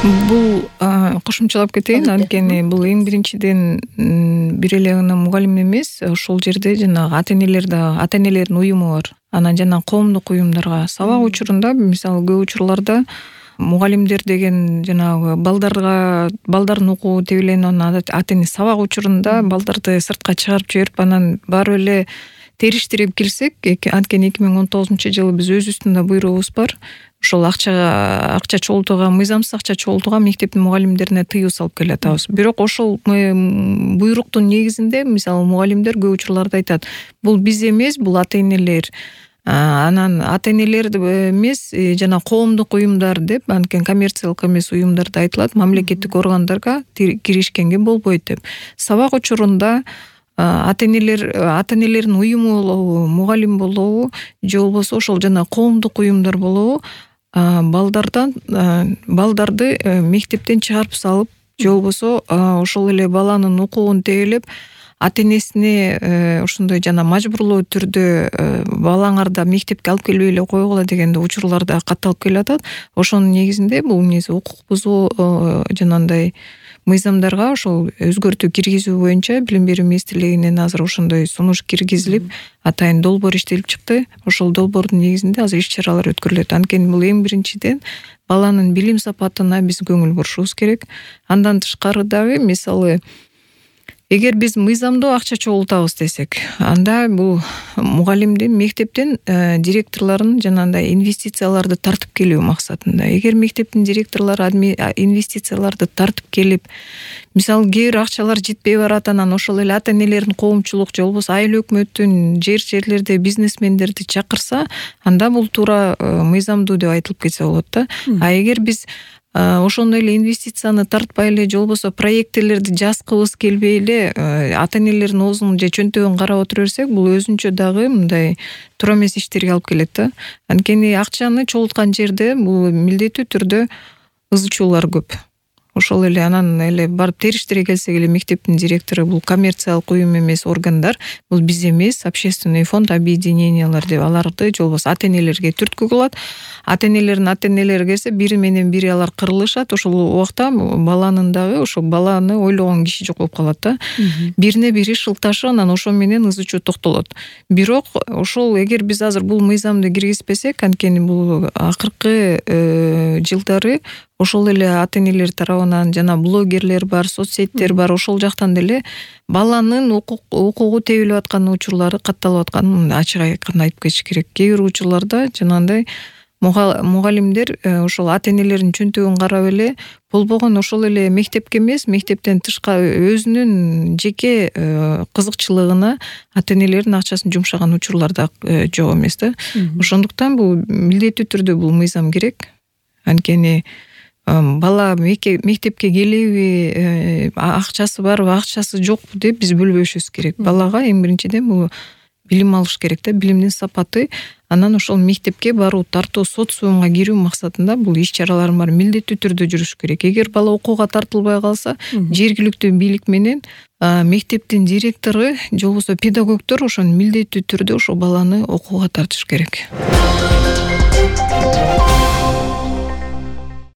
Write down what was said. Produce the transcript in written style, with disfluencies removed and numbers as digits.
Бул кошумчалап кетейин. Анткени бул эң биринчиден бир эле гана мугалим эмес, ошол жерде жанагы ата-энелердин уюму бар. Анан жана коомдук уюмдарга сабак учурунда, мисалы көп учурларда мугалимдер деген жанагы балдардын укугу тебе эле ата-эне сабак учурунда балдарды сыртка чыгарып жиберип, анан барып эле териштирип келсек, анткени 2019-жылы биз өзүбүздүн да буйругубуз бар. Ошол акча чогултууга, мыйзамсыз акча чогултууга мектептин мугалимдерине тыюу салып келатабыз. Бирок ошол буйруктун негизинде, мисалы, мугалимдер көп учурларда айтат: бул биз эмес, бул ата-энелер. Анан ата-энелер эмес, жана коомдук уюмдар деп, анткени коммерциялык эмес уюмдарда айтылат, мамлекеттик органдарга киришкенге болбойт деп. Сабак учурунда ата-энелердин уюму болобу, мугалим болобу, же болбосо ошол жана коомдук уюмдар болобу, балдарды мектептен чыгарып салып, же болбосо ошол эле баланын укугун тебелеп, ата-энесине ошондой жана мажбурлуу түрдө балаңарды мектепке алып келбей эле койгула деген учурларда катталып келатат. Ошонун негизинде бул укук бузуу жанагындай мыйзамдарга ошол өзгөртүү киргизүү боюнча Билим берүү министрлигинен азыр ошондой сунуш киргизилип, атайын долбоор иштелип чыкты. Ошол долбоордун негизинде азыр иш-чаралар өткөрүлөт. Анткени бул эң биринчиден баланын билим сапатына биз көңүл бурушубуз керек. Андан тышкары дагы, мисалы, эгер биз мыйзамдуу акча чогултабыз десек, анда бул мугалимдин, мектептин директорлорун жанагындай инвестицияларды тартып келүү максатында. Эгер мектептин директорлору инвестицияларды тартып келип, мисалы, кээ бир акчалар жетпей барат, анан ошол эле ата-энелердин коомчулук же болбосо айыл өкмөттүн жерлерде бизнесмендерди чакырса, анда бул туура мыйзамдуу деп айтылып кетсе болот да. Эгер биз ошондой эле инвестицияны тартпай эле, же болбосо проекттелерди жазгыбыз келбей эле ата-энелердин оозун же чөнтөгүн карап отура берсек, бул өзүнчө дагы мындай туура эмес иштерге алып келет да. Анткени акчаны чогулткан жерде бул милдеттүү түрдө ызычуулар көп. Ошол эле анан эле барып териштире келсек эле, мектептин директору бул коммерциялык уюм эмес органдар, бул биз эмес, общественный фонд, объединениялар деп аларды, же болбосо ата-энелерге түрткү кылат. Ата-энелери келсе, бири менен бири алар кырылышат. Ошол убакта баланын дагы, ошол баланы ойлогон киши жок болуп калат да. Бирине бири шылташы, анан ошо менен ызычуу токтолот. Бирок ошол эгер биз азыр бул мыйзамды киргизбесек, анткени бул акыркы жылдары ошол эле ата-энелер тарабынан жана блогерлер бар, соцсеттер бар, ошол жактан деле баланын укугу тебилип аткан учурлары катталып атканын ачык айкын айтып кетиш керек. Кээ бир учурларда жанагындай мугалимдер ошол ата-энелердин чөнтөгүн карап эле, болбогон ошол эле мектепке эмес, мектептен тышкары өзүнүн жеке кызыкчылыгына ата-энелердин акчасын жумшаган учурлар да жок эмес да. Ошондуктан бул милдеттүү түрдө бул мыйзам керек. Анткени бала мектепке келеби, акчасы барбы, акчасы жокпу деп биз бөлбөшүбүз керек. Балага эң биринчиден бул билим алыш керек да, билимдин сапаты. Анан ошол мектепке баруу, тартуу, социумга кирүү максатында бул иш-чаралардын баары милдеттүү түрдө жүрүш керек. Эгер бала окууга тартылбай калса, жергиликтүү бийлик менен мектептин директору же болбосо педагогдор ошону милдеттүү түрдө ошол баланы окууга тартыш керек.